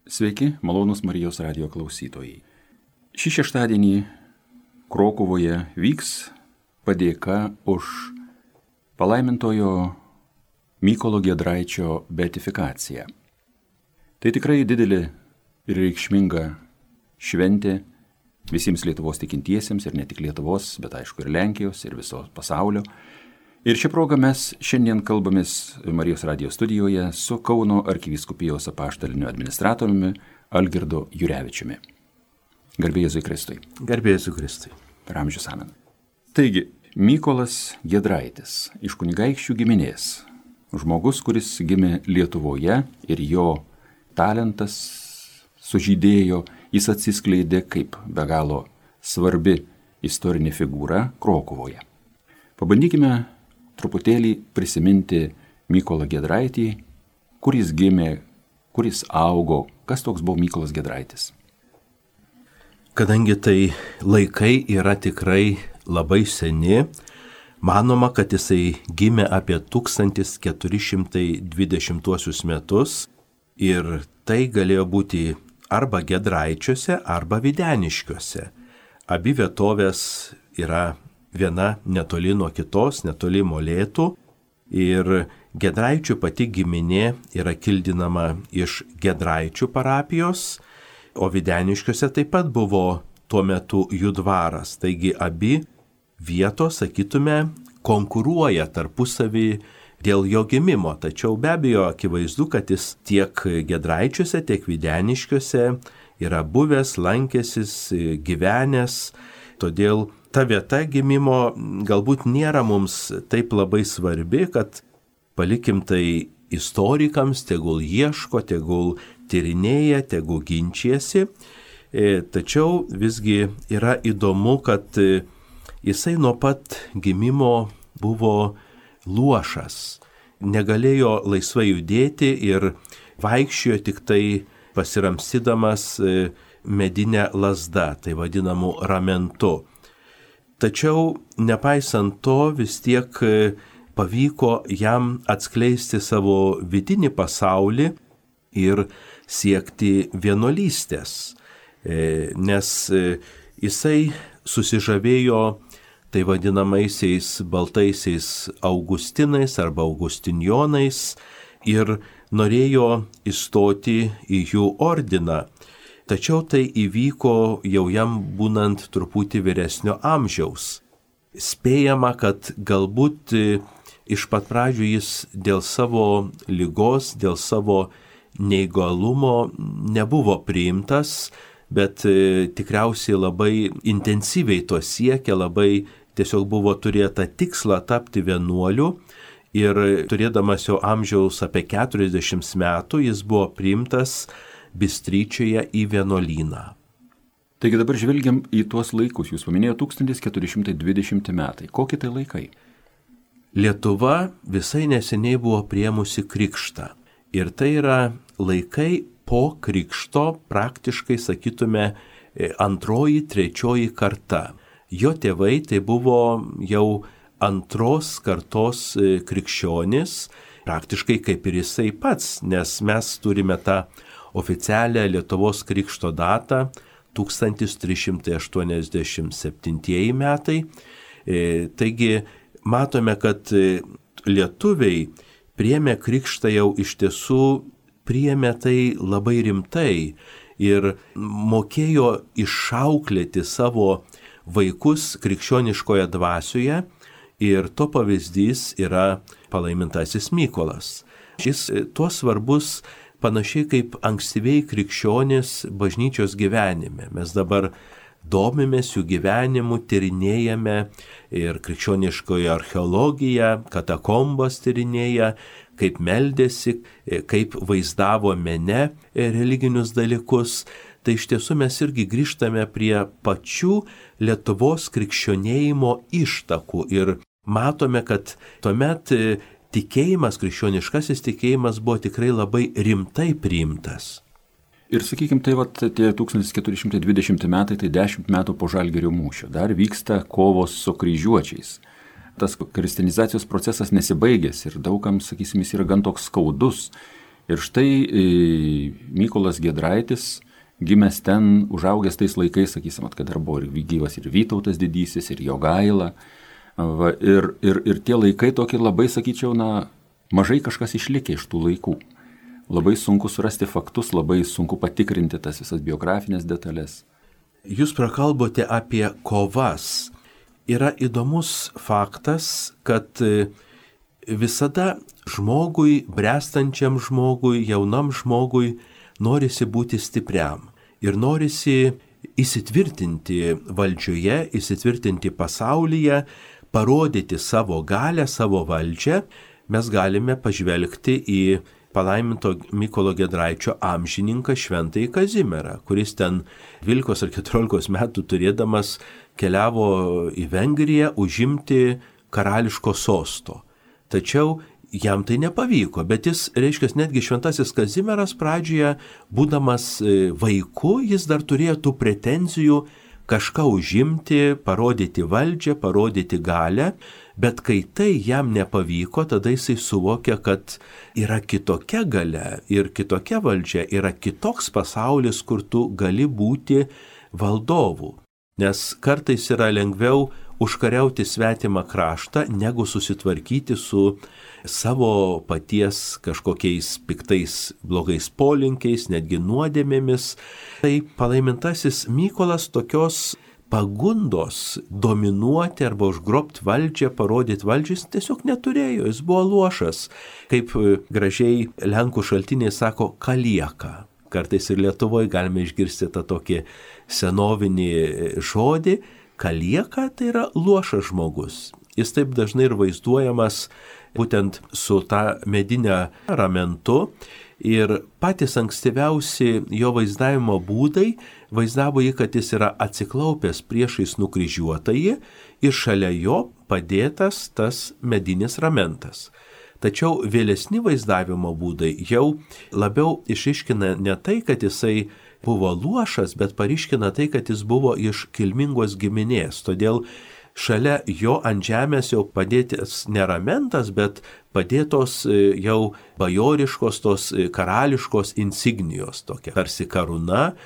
Sveiki, malonūs Marijos radijo klausytojai. Šį šeštadienį Krokuvoje vyks padėka už palaimintojo Mykolo Giedraičio beatifikaciją. Tai tikrai didelė ir reikšminga šventė visiems Lietuvos tikintiesiems ir ne tik Lietuvos, bet aišku ir Lenkijos ir viso pasaulio. Ir šią progą mes šiandien kalbamės Marijos radijo studijoje su Kauno arkivyskupijos apaštaliniu administratoriumi Algirdu Jurevičiumi. Garbė Jėzui Kristui. Garbė Jėzui Kristui. Per amžius amen. Taigi, Mykolas Giedraitis iš kunigaikščių giminės. Žmogus, kuris gimė Lietuvoje ir jo talentas sužydėjo, jis atsiskleidė kaip be galo svarbi istorinė figūra Krokuvoje. Pabandykime truputėlį prisiminti Mykolą Giedraitį, kur jis gimė, kur jis augo, kas toks buvo Mykolas Giedraitis. Kadangi tai laikai yra tikrai labai seni, manoma, kad jisai gimė apie 1420 metus ir tai galėjo būti arba Giedraičiuose, arba Videniškiuose. Abi vietovės yra viena netoli nuo kitos, netoli Molėtų, ir Giedraičių pati giminė yra kildinama iš Giedraičių parapijos, o Videniškiuose taip pat buvo tuo metu jų dvaras. Taigi abi vietos, sakytume, konkuruoja tarpusavį dėl jo gimimo, tačiau be abejo akivaizdu, kad jis tiek Giedraičiuose, tiek Videniškiuose yra buvęs, lankęsis, gyvenęs, todėl ta vieta gimimo galbūt nėra mums taip labai svarbi, kad palikim tai istorikams, tegul ieško, tegul tyrinėja, tegul ginčiasi. Tačiau visgi yra įdomu, kad jisai nuo pat gimimo buvo luošas, negalėjo laisvai judėti ir vaikščiojo tik tai pasiramstydamas medinę lazdą, tai vadinamu ramentu. Tačiau nepaisant to vis tiek pavyko jam atskleisti savo vidinį pasaulį ir siekti vienuolystės, nes jisai susižavėjo tai vadinamaisiais baltaisiais augustinais arba augustinjonais ir norėjo įstoti į jų ordiną. Tačiau tai įvyko jau jam būnant truputį vyresnio amžiaus. Spėjama, kad galbūt iš pat pradžių jis dėl savo ligos, dėl savo neįgalumo nebuvo priimtas, bet tikriausiai labai intensyviai to siekė, labai tiesiog buvo turėta tikslą tapti vienuoliu ir turėdamas jo amžiaus apie 40 metų jis buvo priimtas Bystryčioje į vienuolyną. Taigi dabar žvelgiam į tuos laikus. Jūs paminėjote 1420 metai. Kokie tai laikai? Lietuva visai neseniai buvo priėmusi krikštą. Ir tai yra laikai po krikšto, praktiškai sakytume antroji, trečioji karta. Jo tėvai tai buvo jau antros kartos krikščionis, praktiškai kaip ir jisai pats, nes mes turime tą oficialią Lietuvos krikšto datą 1387 metai. Taigi matome, kad lietuviai priėmė krikštą jau iš tiesų priėmė tai labai rimtai ir mokėjo išauklėti savo vaikus krikščioniškoje dvasioje ir to pavyzdys yra palaimintasis Mykolas. Šis tuo svarbus panašiai kaip ankstyviai krikščionys bažnyčios gyvenime. Mes dabar domimės jų gyvenimu, tyrinėjame ir krikščioniškoje archeologiją, katakombas tyrinėja, kaip meldėsi, kaip vaizdavo mene religinius dalykus. Tai iš tiesų mes irgi grįžtame prie pačių Lietuvos krikščionėjimo ištakų ir matome, kad tuomet tikėjimas, krikščioniškasis tikėjimas buvo tikrai labai rimtai priimtas. Ir sakykime, tai tie 1420 metai, tai 10 metų po Žalgirio mūšio. Dar vyksta kovos su kryžiuočiais. Tas kristinizacijos procesas nesibaigęs ir daugam, sakysim, jis yra gan toks skaudus. Ir štai Mykolas Giedraitis, gimęs ten, užaugęs tais laikais, sakysim, kad dar buvo ir gyvas ir Vytautas didysis, ir Jogaila. Va, ir tie laikai tokie labai, sakyčiau, mažai kažkas išlikė iš tų laikų. Labai sunku surasti faktus, labai sunku patikrinti tas visas biografinės detalės. Jūs prakalbote apie kovas. Yra įdomus faktas, kad visada žmogui, bręstančiam žmogui, jaunam žmogui norisi būti stipriam ir norisi įsitvirtinti valdžioje, įsitvirtinti pasaulyje, parodyti savo galę, savo valdžią. Mes galime pažvelgti į palaiminto Mykolo Giedraičio amžininką Šventąjį Kazimierą, kuris ten 12 ar 14 metų turėdamas keliavo į Vengriją užimti karališko sosto. Tačiau jam tai nepavyko, bet jis, reiškia, netgi Šventasis Kazimieras pradžioje, būdamas vaiku, jis dar turėjo tų pretenzijų kažką užimti, parodyti valdžią, parodyti galę, bet kai tai jam nepavyko, tada jisai suvokė, kad yra kitokia galia ir kitokia valdžia, yra kitoks pasaulis, kur tu gali būti valdovu. Nes kartais yra lengviau užkariauti svetimą kraštą, negu susitvarkyti su savo paties kažkokiais piktais blogais polinkiais, netgi nuodėmėmis. Tai palaimintasis Mykolas tokios pagundos dominuoti arba užgrobti valdžią, parodyti valdžią, jis tiesiog neturėjo, jis buvo luošas. Kaip gražiai lenkų šaltiniai sako, kalieka. Kartais ir Lietuvoje galime išgirsti tą tokį senovinį žodį. Kalieka tai yra luošas žmogus. Jis taip dažnai ir vaizduojamas būtent su tą medinę ramentu. Ir patys ankstyviausi jo vaizdavimo būdai vaizdavo jį, kad jis yra atsiklaupęs priešais nukryžiuotąjį ir šalia jo padėtas tas medinis ramentas. Tačiau vėlesni vaizdavimo būdai jau labiau išryškina ne tai, kad jisai buvo luošas, bet paryškina tai, kad jis buvo iš kilmingos giminės. Todėl šalia jo ant žemės jau padėtas ne ramentas, bet padėtos jau bajoriškos, tos karališkos insignijos, tokia tarsi karūna,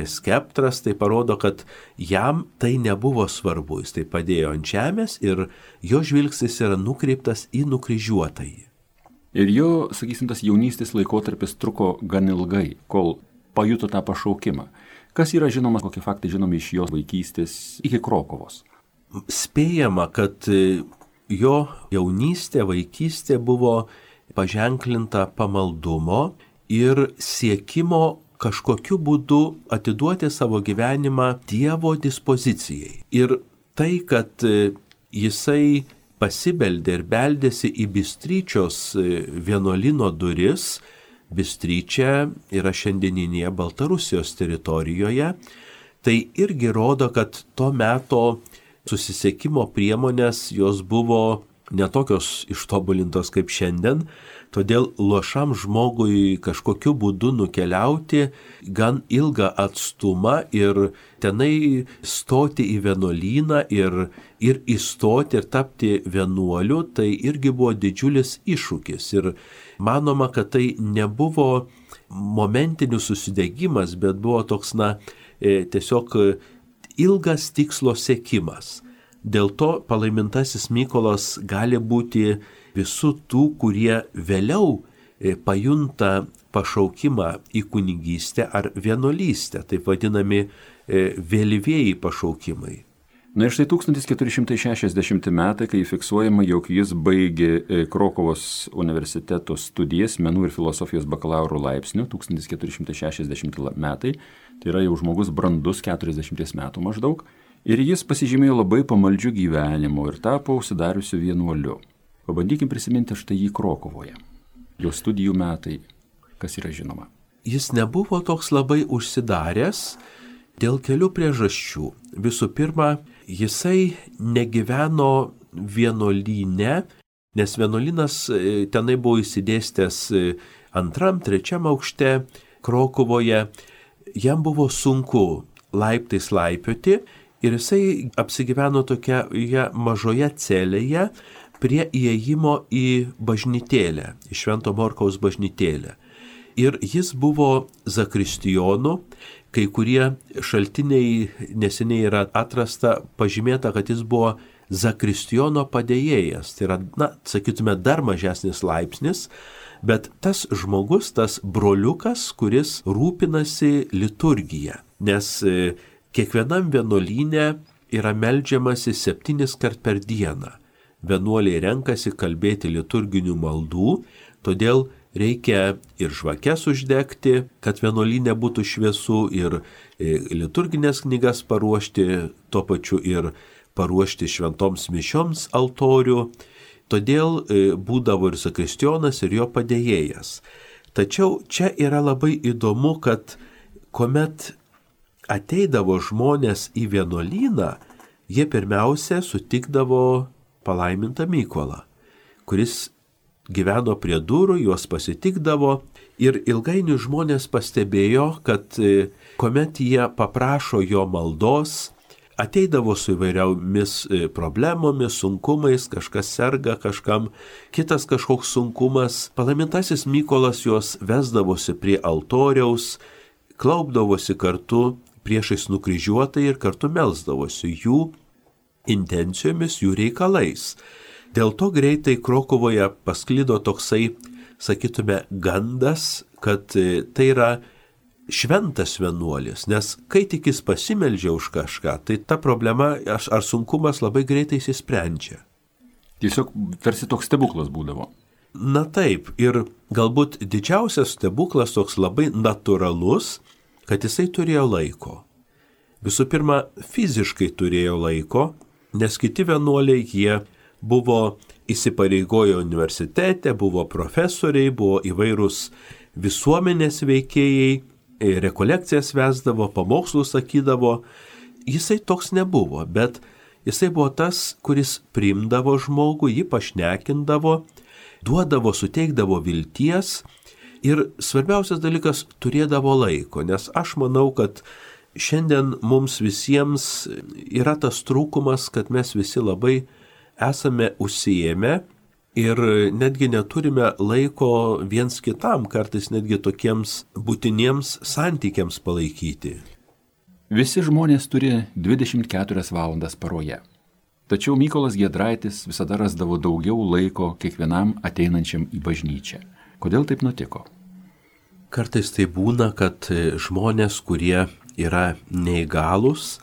skeptras. Tai parodo, kad jam tai nebuvo svarbu. Jis tai padėjo ant žemės ir jo žvilgsnis yra nukreiptas į nukryžiuotąjį. Ir jo, sakysim, tas jaunystės laikotarpis truko gan ilgai, kol pajuto tą pašaukimą. Kas yra žinoma, kokie faktai žinomi iš jo vaikystės iki Krokuvos? Spėjama, kad jo jaunystė, vaikystė buvo paženklinta pamaldumo ir siekimo kažkokiu būdu atiduoti savo gyvenimą Dievo dispozicijai. Ir tai, kad jisai pasibeldė ir beldėsi į Bystryčios vienuolyno duris, Bystryčia yra šiandieninėje Baltarusijos teritorijoje, tai irgi rodo, kad to meto susisiekimo priemonės jos buvo netokios ištobulintos kaip šiandien, todėl luošam žmogui kažkokiu būdu nukeliauti gan ilgą atstumą ir tenai stoti į vienuolyną ir įstoti ir tapti vienuoliu, tai irgi buvo didžiulis iššūkis. Ir manoma, kad tai nebuvo momentinis susidegimas, bet buvo toks, tiesiog ilgas tikslo siekimas. Dėl to palaimintasis Mykolas gali būti visų tų, kurie vėliau pajunta pašaukimą į kunigystę ar vienuolystę, taip vadinami vėlyvieji pašaukimai. Na ir štai 1460 metai, kai fiksuojama, jog jis baigė Krokuvos universiteto studijas menų ir filosofijos bakalauro laipsnių, 1460 metai, tai yra jau žmogus brandus 40 metų maždaug, ir jis pasižymėjo labai pamaldžiu gyvenimu ir tapo užsidariusiu vienuoliu. Pabandykim prisiminti štai jį Krokuvoje. Jo studijų metai, kas yra žinoma. Jis nebuvo toks labai užsidaręs dėl kelių priežasčių. Visų pirma, jisai negyveno vienuolyne, nes vienuolynas tenai buvo įsidėstęs 2., 3 aukšte Krokuvoje. Jam buvo sunku laiptais laipioti ir jisai apsigyveno tokioje mažoje celėje prie įėjimo į bažnytėlę, į Švento Morkaus bažnytėlę. ir jis buvo zakristijonu. Kai kurie šaltiniai neseniai yra atrasta, pažymėta, kad jis buvo zakristijono padėjėjas. Tai yra, sakytume, dar mažesnis laipsnis, bet tas žmogus, tas broliukas, kuris rūpinasi liturgija. Nes kiekvienam vienuolyne yra meldžiamasi 7 kart per dieną. Vienuoliai renkasi kalbėti liturginių maldų, todėl reikia ir žvakes uždegti, kad vienuolyne būtų šviesu, ir liturginės knygas paruošti, tuo pačiu ir paruošti šventoms mišioms altorių. Todėl būdavo ir zakristijonas, ir jo padėjėjas. Tačiau čia yra labai įdomu, kad kuomet ateidavo žmonės į vienuolyną, jie pirmiausia sutikdavo palaimintą Mykolą, kuris gyveno prie durų, juos pasitikdavo, ir ilgainiui žmonės pastebėjo, kad kuomet jie paprašo jo maldos, ateidavo su įvairiomis problemomis, sunkumais, kažkas serga, kažkam kitas kažkoks sunkumas. Palaimintasis Mykolas juos vesdavosi prie altoriaus, klaupdavosi kartu priešais nukryžiuotai ir kartu melsdavosi jų intencijomis, jų reikalais. Dėl to greitai Krokuvoje pasklido toksai, sakytume, gandas, kad tai yra šventas vienuolis, nes kai tik jis pasimeldžia už kažką, tai ta problema ar sunkumas labai greitai įsisprendžia. Tiesiog tarsi toks stebuklas būdavo. Na taip, ir galbūt didžiausias stebuklas toks labai natūralus, kad jisai turėjo laiko. Visų pirma, fiziškai turėjo laiko, nes kiti vienuoliai jie buvo įsipareigoję universitete, buvo profesoriai, buvo įvairūs visuomenės veikėjai, rekolekcijas vesdavo, pamokslus sakydavo. Jisai toks nebuvo, bet jisai buvo tas, kuris priimdavo žmogų, jį pašnekindavo, duodavo, suteikdavo vilties ir svarbiausias dalykas turėdavo laiko, nes aš manau, kad šiandien mums visiems yra tas trūkumas, kad mes visi labai esame užsiėmę ir netgi neturime laiko viens kitam, kartais netgi tokiems būtiniems santykiams palaikyti. Visi žmonės turi 24 valandas paroje. Tačiau Mykolas Giedraitis visada rasdavo daugiau laiko kiekvienam ateinančiam į bažnyčią. Kodėl taip nutiko? Kartais tai būna, kad žmonės, kurie yra neįgalūs,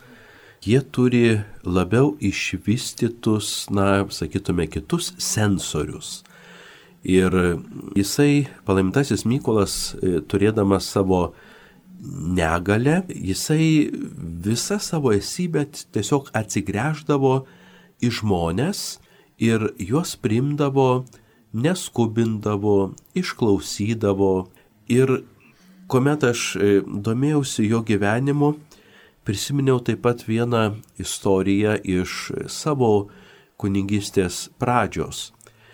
jie turi labiau išvystytus, sakytume, kitus sensorius. Ir jisai, palaimintasis Mykolas, turėdamas savo negalę, jisai visą savo esybę tiesiog atsigręždavo į žmones ir juos priimdavo, neskubindavo, išklausydavo. Ir kuomet aš domėjausi jo gyvenimu, prisiminiau taip pat vieną istoriją iš savo kunigystės pradžios.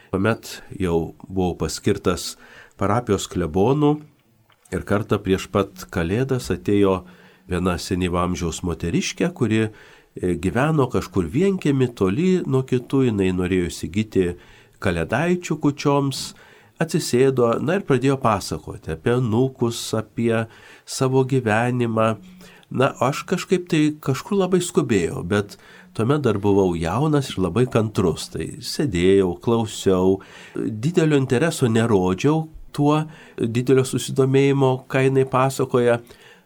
Kuomet jau buvau paskirtas parapijos klebonu ir kartą prieš pat Kalėdas atėjo viena senyvo amžiaus moteriškė, kuri gyveno kažkur vienkiemy toli nuo kitų, jinai norėjo įsigyti kalėdaičių kūčioms, atsisėdo, ir pradėjo pasakoti apie anūkus, apie savo gyvenimą. Aš kažkaip tai kažkur labai skubėjau, bet tuomet dar buvau jaunas ir labai kantrus. Tai sėdėjau, klausiau, didelio intereso nerodžiau tuo, didelio susidomėjimo, ką jinai pasakoja.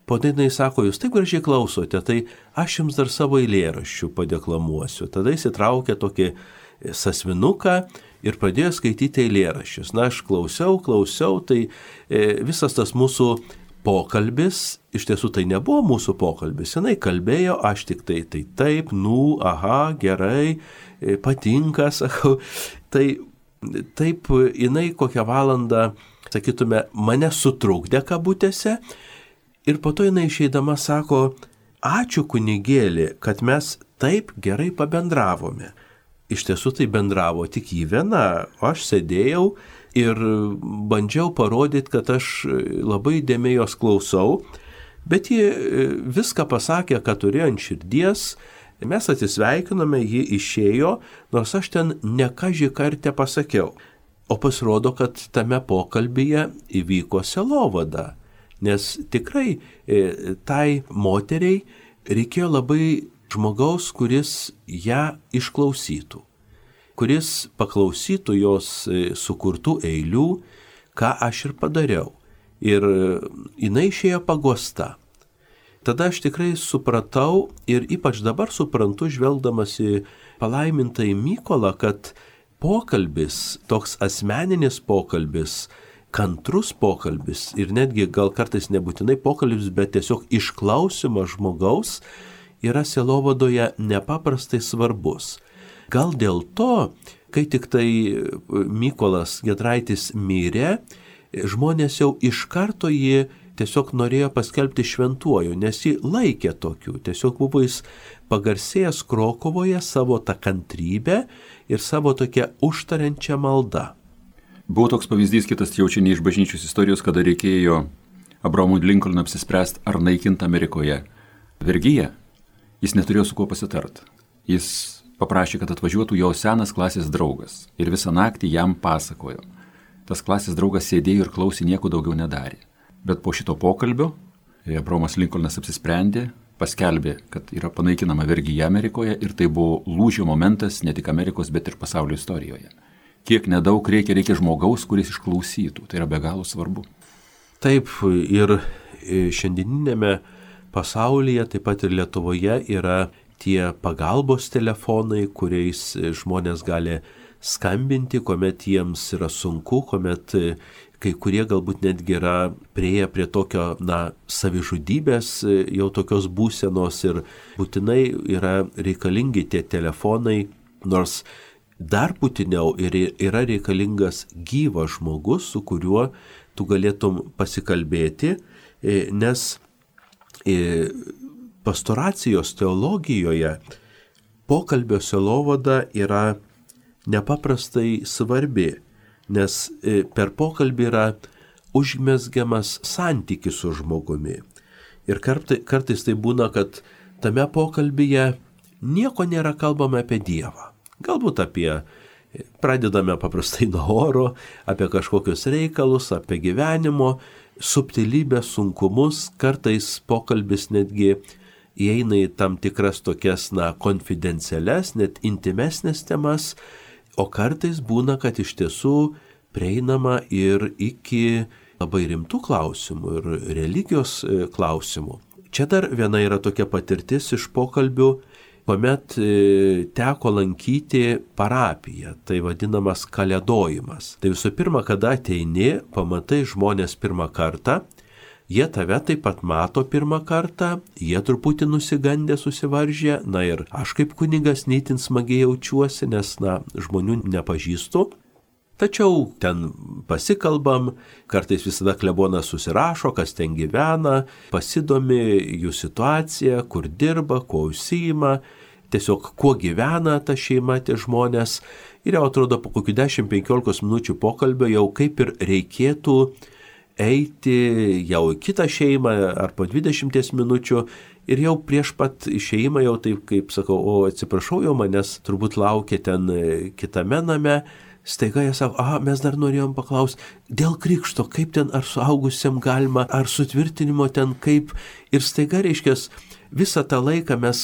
Po tai jinai sako, jūs taip gražiai klausote, tai aš jums dar savo eilėraščių padeklamuosiu. Tada įsitraukė tokį sąsvinuką ir pradėjo skaityti eilėraščius. Aš klausiau, tai visas tas mūsų pokalbis, iš tiesų tai nebuvo mūsų pokalbis, jinai kalbėjo, aš tik tai taip, gerai, patinka, sakau, tai taip jinai kokią valandą, sakytume, mane sutrukdė kabutėse ir po to jinai išeidama sako, ačiū kunigėli, kad mes taip gerai pabendravome. Iš tiesų tai bendravo tik jį viena, aš sėdėjau ir bandžiau parodyti, kad aš labai įdėmiai jos klausau, bet ji viską pasakė, ką turėjo ant širdies, mes atsisveikinome, ji išėjo, nors aš ten ne kažį kartą pasakiau. O pasirodo, kad tame pokalbyje įvyko sielovada, nes tikrai tai moteriai reikėjo labai žmogaus, kuris ją išklausytų, kuris paklausytų jos sukurtų eilių, ką aš ir padariau. Ir jinai išėjo paguosta. Tada aš tikrai supratau ir ypač dabar suprantu, žvelgdamas į palaimintąjį Mykolą, kad pokalbis, toks asmeninis pokalbis, kantrus pokalbis ir netgi gal kartais nebūtinai pokalbis, bet tiesiog išklausimas žmogaus yra sielovadoje nepaprastai svarbus. Gal dėl to, kai tik tai Mykolas Giedraitis mirė, žmonės jau iš karto jį tiesiog norėjo paskelbti šventuoju, nes jį laikė tokiu. Tiesiog buvo jis pagarsėjęs Krokuvoje savo tą kantrybę ir savo tokią užtariančią maldą. Buvo toks pavyzdys, kitas jau čia ne iš bažnyčios istorijos, kada reikėjo Abrahamui Lincolnui apsispręsti, ar naikinti Amerikoje vergiją. Jis neturėjo su kuo pasitart. Jis paprašė, kad atvažiuotų jo senas klasės draugas ir visą naktį jam pasakojo. Tas klasės draugas sėdėjo ir klausė, nieko daugiau nedarė. Bet po šito pokalbio Abrahamas Lincolnas apsisprendė, paskelbė, kad yra panaikinama vergija Amerikoje ir tai buvo lūžio momentas ne tik Amerikos, bet ir pasaulio istorijoje. Kiek nedaug reikia žmogaus, kuris išklausytų. Tai yra be galo svarbu. Taip, ir šiandieninėme pasaulyje, taip pat ir Lietuvoje yra tie pagalbos telefonai, kuriais žmonės gali skambinti, kuomet jiems yra sunku, kuomet kai kurie galbūt netgi yra prieėję prie tokio, savižudybės, jau tokios būsenos ir būtinai yra reikalingi tie telefonai, nors dar būtiniau yra reikalingas gyvas žmogus, su kuriuo tu galėtum pasikalbėti, nes pastoracijos teologijoje pokalbio sielovada yra nepaprastai svarbi, nes per pokalbį yra užmezgiamas santykis su žmogumi. Ir kartais tai būna, kad tame pokalbyje nieko nėra kalbama apie Dievą. Galbūt pradedame paprastai nuo oro, apie kažkokius reikalus, apie gyvenimo, subtilybę, sunkumus, kartais pokalbis netgi įeina į tam tikras tokias, konfidencialias, net intimesnės temas, o kartais būna, kad iš tiesų prieinama ir iki labai rimtų klausimų ir religijos klausimų. Čia dar viena yra tokia patirtis iš pokalbių, kuomet teko lankyti parapiją, tai vadinamas kalėdojimas. Tai visų pirma, kada ateini, pamatai žmonės pirmą kartą, jie tave taip pat mato pirmą kartą, jie truputį nusigandę, susivaržę, ir aš kaip kunigas neįtin smagiai jaučiuosi, nes, žmonių nepažįstu. Tačiau ten pasikalbam, kartais visada klebonas susirašo, kas ten gyvena, pasidomi jų situaciją, kur dirba, kuo užsiima, tiesiog kuo gyvena ta šeima, tie žmonės. Ir jau atrodo, po kokių 10-15 minučių pokalbio jau kaip ir reikėtų eiti jau į kitą šeimą ar po 20 minučių ir jau prieš pat išėjimą jau taip, kaip sakau, atsiprašau, jau manęs turbūt laukia ten kitame name. Staiga jie sako, mes dar norėjom paklausti, dėl krikšto, kaip ten, ar suaugusiam galima, ar sutvirtinimo ten kaip. Ir staiga, reiškias, visą tą laiką mes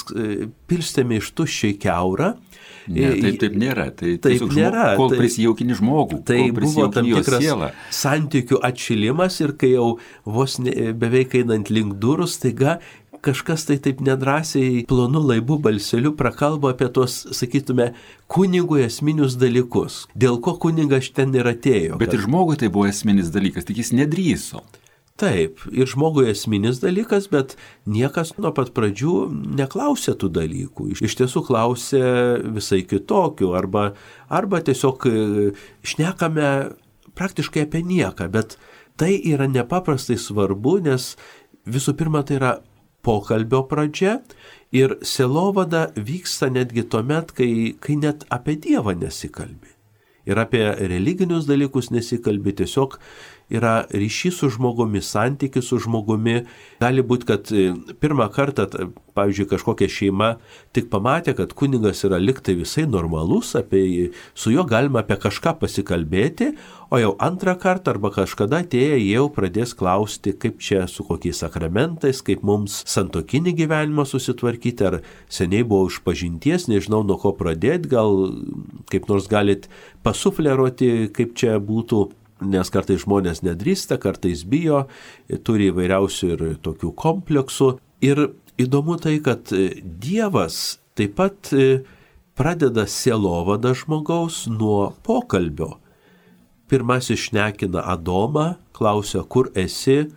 pilstėme iš tuščiai keurą. Ne, taip nėra. Taip nėra. Kol prisijaukini žmogų, tai kol buvo tam tikras sielą. Santykių atšilimas ir kai jau vos beveik einant link durų, staiga kažkas tai taip nedrąsiai plonu laibu balseliu prakalba apie tos, sakytume, kunigui esminius dalykus. Dėl ko kunigas ten ir atėjo. Bet ir žmogui tai buvo esminis dalykas, tik jis nedrįso. Taip, ir žmogui esminis dalykas, bet niekas nuo pat pradžių neklausė tų dalykų. Iš tiesų klausė visai kitokių, arba tiesiog šnekame praktiškai apie nieką, bet tai yra nepaprastai svarbu, nes visų pirma tai yra pokalbio pradžia ir sielovada vyksta netgi tuomet, kai net apie Dievą nesikalbi. Ir apie religinius dalykus nesikalbi, tiesiog yra ryšys su žmogumi, santykis su žmogumi. Gali būti, kad pirmą kartą, pavyzdžiui, kažkokia šeima tik pamatė, kad kunigas yra liktai visai normalus, su juo galima apie kažką pasikalbėti, o jau antrą kartą arba kažkada atėję jau pradės klausti, kaip čia su kokiais sakramentais, kaip mums santuokinį gyvenimą susitvarkyti, ar seniai buvo išpažinties, nežinau nuo ko pradėti, gal kaip nors galit pasufleruoti, kaip čia būtų. Nes kartais žmonės nedrįsta, kartais bijo, turi įvairiausių ir tokių kompleksų. Ir įdomu tai, kad Dievas taip pat pradeda sielovadą žmogaus nuo pokalbio. Pirmasis šnekina Adomą, klausia, kur esi,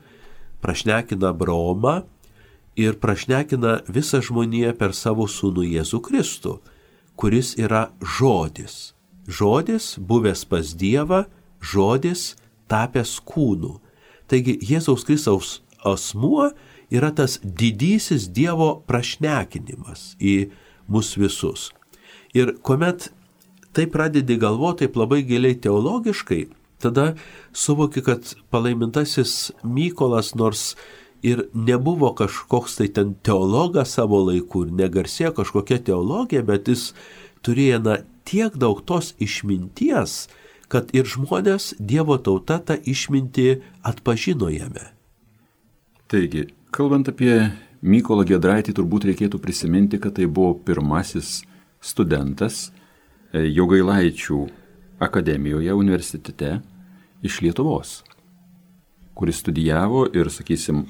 prašnekina Abraomą ir prašnekina visą žmoniją per savo sūnų Jėzų Kristų, kuris yra žodis. Žodis, buvęs pas Dievą, žodis tapęs kūnu. Taigi Jėzaus Kristaus asmuo yra tas didysis Dievo prašnekinimas į mus visus. Ir kuomet tai pradedi galvoti taip labai giliai teologiškai, tada suvoki, kad palaimintasis Mykolas nors ir nebuvo kažkoks tai ten teologas savo laiku ir negarsėjo kažkokia teologija, bet jis turėjo tiek daug tos išminties, kad ir žmonės, Dievo tauta, tą išmintį atpažino jame. Taigi, kalbant apie Mykolą Giedraitį, turbūt reikėtų prisiminti, kad tai buvo pirmasis studentas Jogailaičių akademijoje, universitete iš Lietuvos, kuris studijavo ir, sakysim,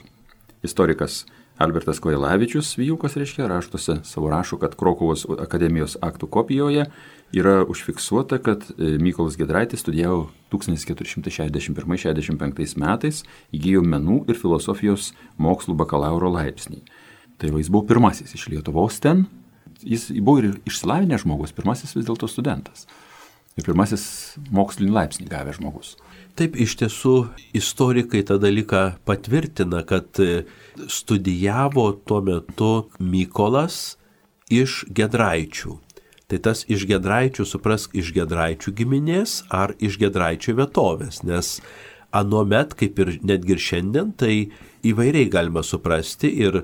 istorikas Albertas Kojelavičius, Vijūkas raštuose savo rašo, kad Krokuvos akademijos aktų kopijoje yra užfiksuota, kad Mykolas Giedraitis studijavo 1461-65 metais, įgijo menų ir filosofijos mokslų bakalauro laipsnį. Tai jis buvo pirmasis iš Lietuvos ten, jis buvo ir išsilavinęs žmogus, pirmasis vis dėlto studentas ir pirmasis mokslinį laipsnį gavęs žmogus. Taip, iš tiesų, istorikai tą dalyką patvirtina, kad studijavo tuo metu Mykolas iš Giedraičių. Tai tas iš Giedraičių, suprask, iš Giedraičių giminės ar iš Giedraičių vietovės, nes anuomet, kaip ir netgi ir šiandien, tai įvairiai galima suprasti ir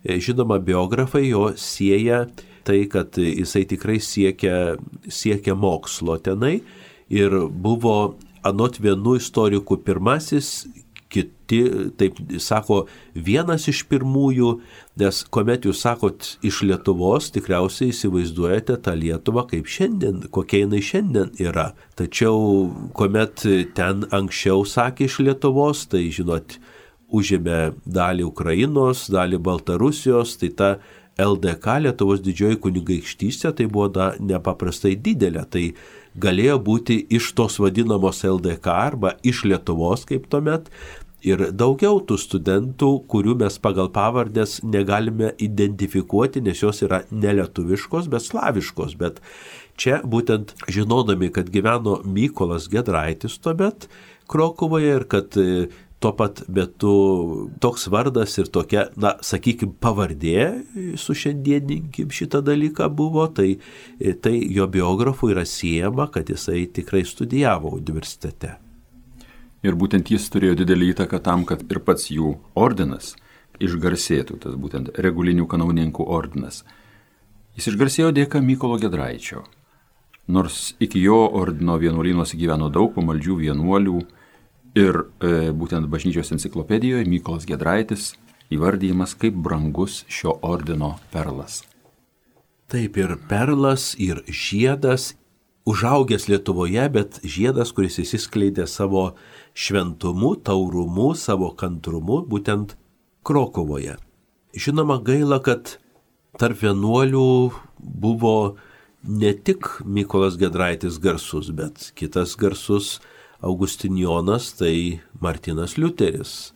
žinoma, biografai jo sieja tai, kad jisai tikrai siekia mokslo tenai ir buvo anot vienų istorikų pirmasis, kiti, taip sako, vienas iš pirmųjų, nes kuomet jūs sakot iš Lietuvos, tikriausiai įsivaizduojate tą Lietuvą kaip šiandien, kokia jinai šiandien yra. Tačiau kuomet ten anksčiau sakė iš Lietuvos, tai žinot, užėmė dalį Ukrainos, dalį Baltarusijos, tai ta LDK, Lietuvos didžioji kunigaikštystė, tai buvo nepaprastai didelė. Tai galėjo būti iš tos vadinamos LDK arba iš Lietuvos kaip tuomet. Ir daugiau tų studentų, kurių mes pagal pavardės negalime identifikuoti, nes jos yra nelietuviškos, bet slaviškos. Bet čia būtent žinodami, kad gyveno Mykolas Giedraitis tuomet Krokuvoje ir kad tuo pat metu toks vardas ir tokia, sakykime, pavardė su šiandieninkim šitą dalyką buvo, tai jo biografų yra siejama, kad jisai tikrai studijavo universitete. Ir būtent jis turėjo didelį įtaką tam, kad ir pats jų ordinas išgarsėtų, tas būtent regulinių kanauninkų ordinas. Jis išgarsėjo dėka Mykolo Giedraičio. Nors iki jo ordino vienuolynuose gyveno daug pamaldžių vienuolių, ir būtent bažnyčios enciklopedijoje Mykolas Giedraitis įvardyjamas kaip brangus šio ordino perlas. Taip, ir perlas, ir žiedas, užaugęs Lietuvoje, bet žiedas, kuris įsiskleidė savo šventumu, taurumu, savo kantrumu, būtent Krokuvoje. Žinoma, gaila, kad tarp vienuolių buvo ne tik Mykolas Giedraitis garsus, bet kitas garsus Augustinijonas, tai Martynas Liuteris,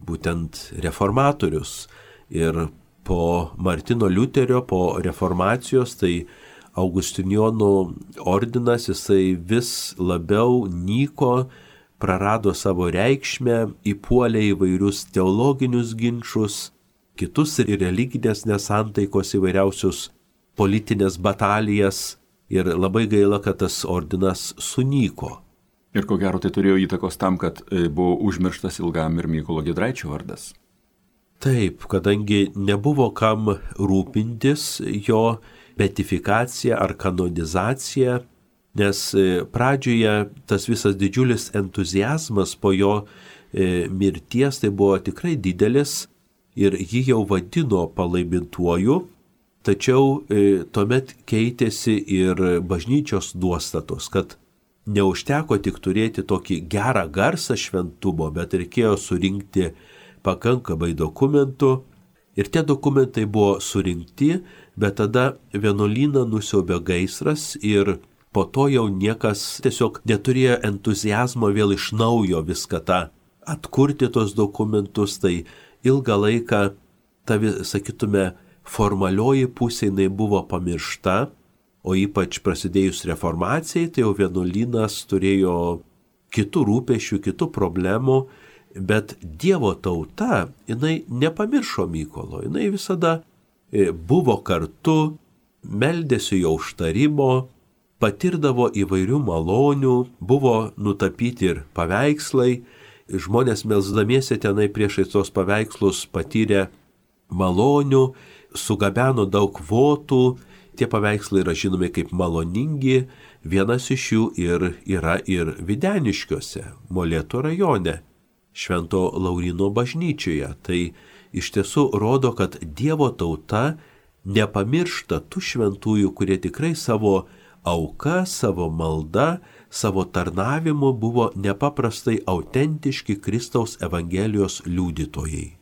būtent reformatorius. Ir po Martino Liuterio, po reformacijos, tai Augustinijonų ordinas, jisai vis labiau nyko, prarado savo reikšmę, įpuolė įvairius teologinius ginčus, kitus ir religinės nesantaikos, įvairiausius politinės batalijas. Ir labai gaila, kad tas ordinas sunyko. Ir ko gero tai turėjo įtakos tam, kad buvo užmirštas ilgam ir Mykolo Giedraičio vardas. Taip, kadangi nebuvo kam rūpintis jo beatifikacija ar kanonizacija, nes pradžioje tas visas didžiulis entuziazmas po jo mirties tai buvo tikrai didelis ir jį jau vadino palaimintuoju, tačiau tuomet keitėsi ir bažnyčios nuostatos, kad neužteko tik turėti tokį gerą garsą šventumo, bet reikėjo surinkti pakankamai dokumentų. Ir tie dokumentai buvo surinkti, bet tada vienuolyną nusiaubė gaisras ir po to jau niekas tiesiog neturėjo entuziazmo vėl iš naujo viską tą atkurti tos dokumentus. Tai ilgą laiką, sakytume, formalioji pusė jinai buvo pamiršta. O ypač prasidėjus reformacijai, tai jau vienuolynas turėjo kitų rūpešių, kitų problemų, bet Dievo tauta, jinai nepamiršo Mykolo, jinai visada buvo kartu, meldėsi jo užtarimo, patirdavo įvairių malonių, buvo nutapyti ir paveikslai, žmonės melsdamiesi tenai priešais tos paveikslus patyrė malonių, sugabeno daug votų. Tie paveikslai yra žinomi kaip maloningi, vienas iš jų yra ir Videniškiuose, Molėtų rajone, Švento Lauryno bažnyčioje. Tai iš tiesų rodo, kad Dievo tauta nepamiršta tų šventųjų, kurie tikrai savo auka, savo malda, savo tarnavimu buvo nepaprastai autentiški Kristaus Evangelijos liudytojai.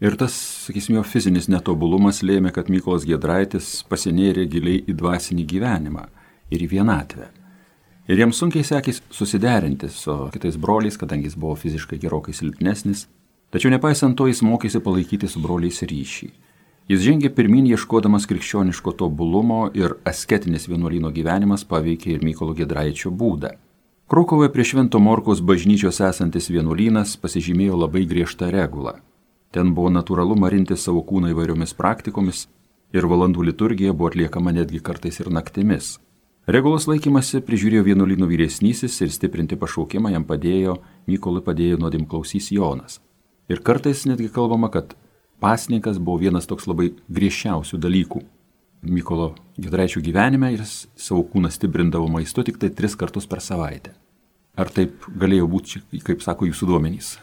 Ir tas, sakysim, jo fizinis netobulumas lėmė, kad Mykolas Giedraitis pasinėrė giliai į dvasinį gyvenimą ir į vienatvę. Ir jam sunkiai sekės susiderinti su kitais broliais, kadangi jis buvo fiziškai gerokai silpnesnis, tačiau nepaisant to jis mokėsi palaikyti su broliais ryšį. Jis žengė pirmin ieškodamas krikščioniško tobulumo ir asketinis vienuolyno gyvenimas paveikė ir Mykolo Giedraičio būdą. Krokuvoje prie Švento Morkaus bažnyčios esantis vienuolynas pasižymėjo labai griežtą regulą. Ten buvo natūralu marinti savo kūną įvairiomis praktikomis ir valandų liturgija buvo atliekama netgi kartais ir naktimis. Regulos laikymasi prižiūrėjo vienuolyno vyresnysis ir stiprinti pašaukimą jam Mykolui padėjo nuodėmklausys Jonas. Ir kartais netgi kalbama, kad pasninkas buvo vienas toks labai griežčiausių dalykų Mykolo Giedraičio gyvenime ir jis savo kūną stiprindavo maistu tik tai 3 kartus per savaitę. Ar taip galėjo būti, kaip sako jūsų duomenys?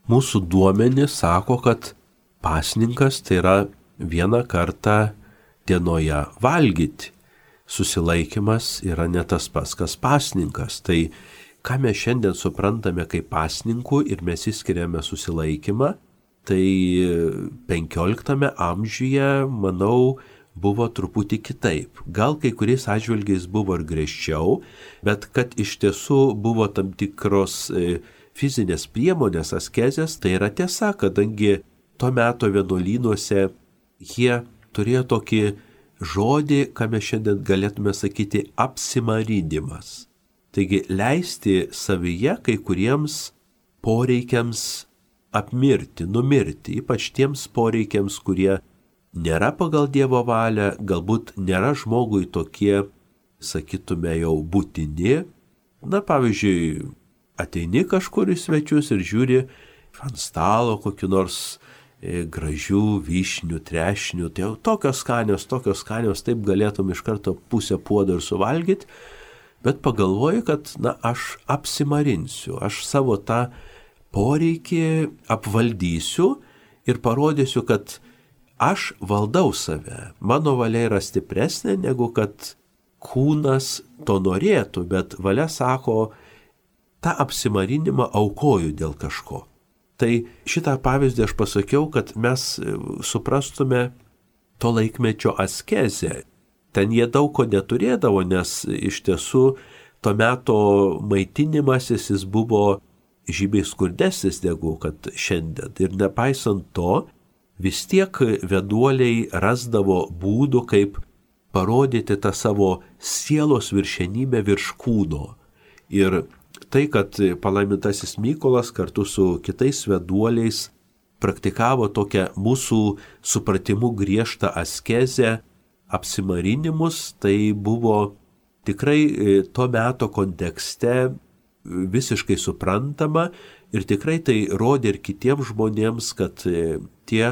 Mūsų duomenys sako, kad pasninkas tai yra 1 kartą dienoje valgyti. Susilaikimas yra ne tas pats, kas pasninkas. Tai ką mes šiandien suprantame kaip pasninku ir mes įskiriame susilaikymą, tai 15 amžiuje, manau, buvo truputį kitaip. Gal kai kuriais atžvilgiais buvo ir griežčiau, bet kad iš tiesų buvo tam tikros fizinės priemonės, askezės, tai yra tiesa, kadangi to meto vienuolynuose jie turėjo tokį žodį, ką mes šiandien galėtume sakyti, apsimarinimas. Taigi leisti savyje kai kuriems poreikiams apmirti, numirti, ypač tiems poreikiams, kurie nėra pagal Dievo valią, galbūt nėra žmogui tokie, sakytume, jau būtini. Na, pavyzdžiui, ateini kažkur į svečius ir žiūri ant stalo kokiu nors gražių vyšnių, trešnių, tai jau tokios skanios, taip galėtum iš karto pusę puodo ir suvalgyti, bet pagalvoju, kad, aš apsimarinsiu, aš savo tą poreikį apvaldysiu ir parodysiu, kad aš valdau save, mano valia yra stipresnė negu kad kūnas to norėtų, bet valia sako, tą apsimarinimą aukoju dėl kažko. Tai šitą pavyzdį aš pasakiau, kad mes suprastume to laikmečio askezę. Ten jie daug ko neturėdavo, nes iš tiesų to meto maitinimasis jis buvo žymiai skurdesnis negu kad šiandien. Ir nepaisant to, vis tiek vienuoliai rasdavo būdų, kaip parodyti tą savo sielos viršenybę virš kūno. Ir tai, kad palaimintasis Mykolas kartu su kitais vienuoliais praktikavo tokią mūsų supratimu griežtą askezę, apsimarinimus, tai buvo tikrai to meto kontekste visiškai suprantama ir tikrai tai rodė ir kitiems žmonėms, kad tie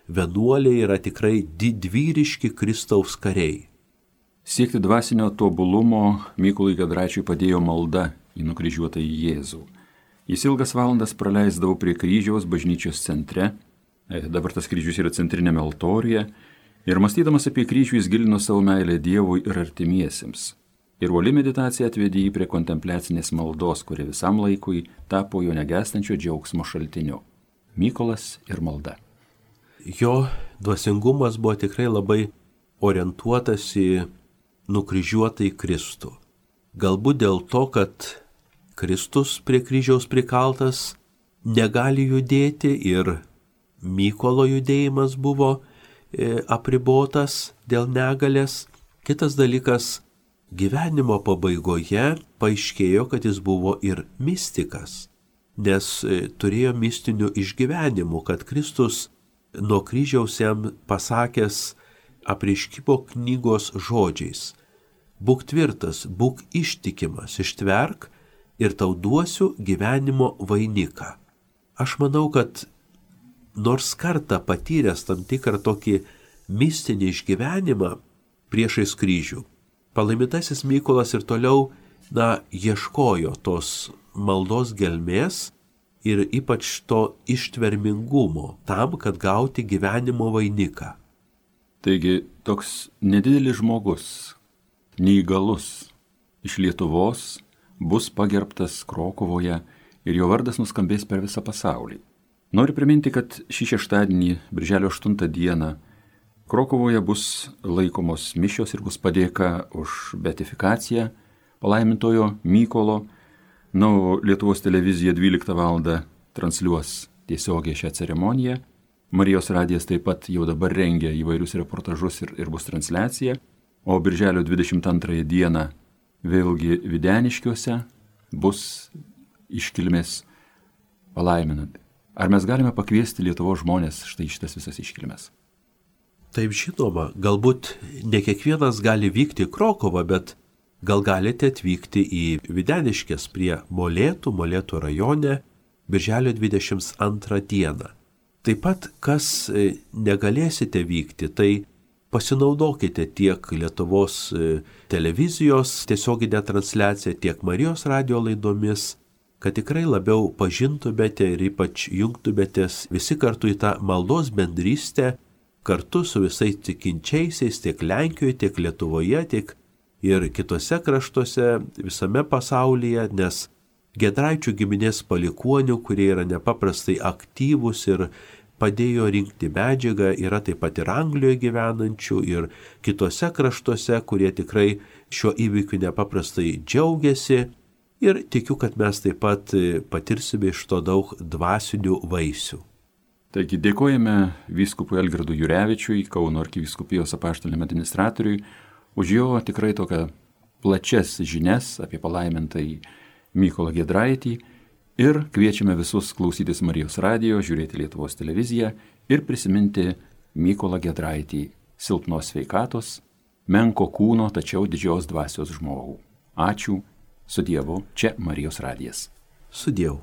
vienuoliai yra tikrai didvyriški Kristaus kariai. Siekti dvasinio tobulumo Mykolui Giedraičiui padėjo malda į nukryžiuotąjį Jėzų. Jis ilgas valandas praleisdavo prie kryžiaus bažnyčios centre, dabar tas kryžius yra centrinėme altoriuje, ir mąstydamas apie kryžių jis gilino savo meilę Dievui ir artimiesiems. Ir uoli meditacija atvedė jį prie kontempliacinės maldos, kuri visam laikui tapo jo negęstančio džiaugsmo šaltiniu. Mykolas ir malda. Jo dvasingumas buvo tikrai labai orientuotas į nukryžiuotąjį Kristų. Galbūt dėl to, kad Kristus prie kryžiaus prikaltas negali judėti ir Mykolo judėjimas buvo apribotas dėl negalės. Kitas dalykas, gyvenimo pabaigoje paaiškėjo, kad jis buvo ir mistikas, nes turėjo mistinių išgyvenimų, kad Kristus nuo kryžiaus jam pasakęs apreiškimo knygos žodžiais: būk tvirtas, būk ištikimas, ištverk ir tau duosiu gyvenimo vainiką. Aš manau, kad nors kartą patyręs tam tikrą tokį mistinį išgyvenimą priešais kryžių, palaimintasis Mykolas ir toliau, ieškojo tos maldos gelmės ir ypač to ištvermingumo tam, kad gauti gyvenimo vainiką. Taigi toks nedidelis žmogus, neįgalus, iš Lietuvos bus pagerbtas Krokuvoje ir jo vardas nuskambės per visą pasaulį. Noriu priminti, kad šį šeštadienį, birželio 8 dieną, Krokuvoje bus laikomos mišios ir bus padėka už beatifikaciją palaimintojo Mykolo. Lietuvos televizija 12 val. Transliuos tiesiogiai šią ceremoniją. Marijos radijas taip pat jau dabar rengia įvairius reportažus ir bus transliacija. O birželio 22 dieną vėlgi Videniškiuose bus iškilmės palaiminant. Ar mes galime pakviesti Lietuvos žmonės štai šitas visas iškilmes? Taip, žinoma, galbūt ne kiekvienas gali vykti į Krokuvą, bet gal galite atvykti į Videniškes prie Molėtų rajone, birželio 22 dieną. Taip pat, kas negalėsite vykti, tai pasinaudokite tiek Lietuvos televizijos tiesioginę transliaciją, tiek Marijos radijo laidomis, kad tikrai labiau pažintumėte ir ypač jungtumėtės visi kartu į tą maldos bendrystę, kartu su visais tikinčiaisiais tiek Lenkijoje, tiek Lietuvoje, tiek ir kitose kraštuose visame pasaulyje, nes Giedraičių giminės palikuonių, kurie yra nepaprastai aktyvūs ir padėjo rinkti medžiagą, yra taip pat ir Anglijoje gyvenančių ir kitose kraštuose, kurie tikrai šiuo įvykiu nepaprastai džiaugiasi. Ir tikiu, kad mes taip pat patirsime iš to daug dvasinių vaisių. Taigi dėkojame vyskupui Algirdui Jurevičiui, Kauno arkivyskupijos apaštaliniam administratoriui, už jo tikrai tokią plačias žinias apie palaimintąjį Mykolą Giedraitį ir kviečiame visus klausytis Marijos radijo, žiūrėti Lietuvos televiziją ir prisiminti Mykolą Giedraitį, silpnos sveikatos, menko kūno, tačiau didžios dvasios žmogų. Ačiū, su Dievu, čia Marijos radijas. Su Dievu.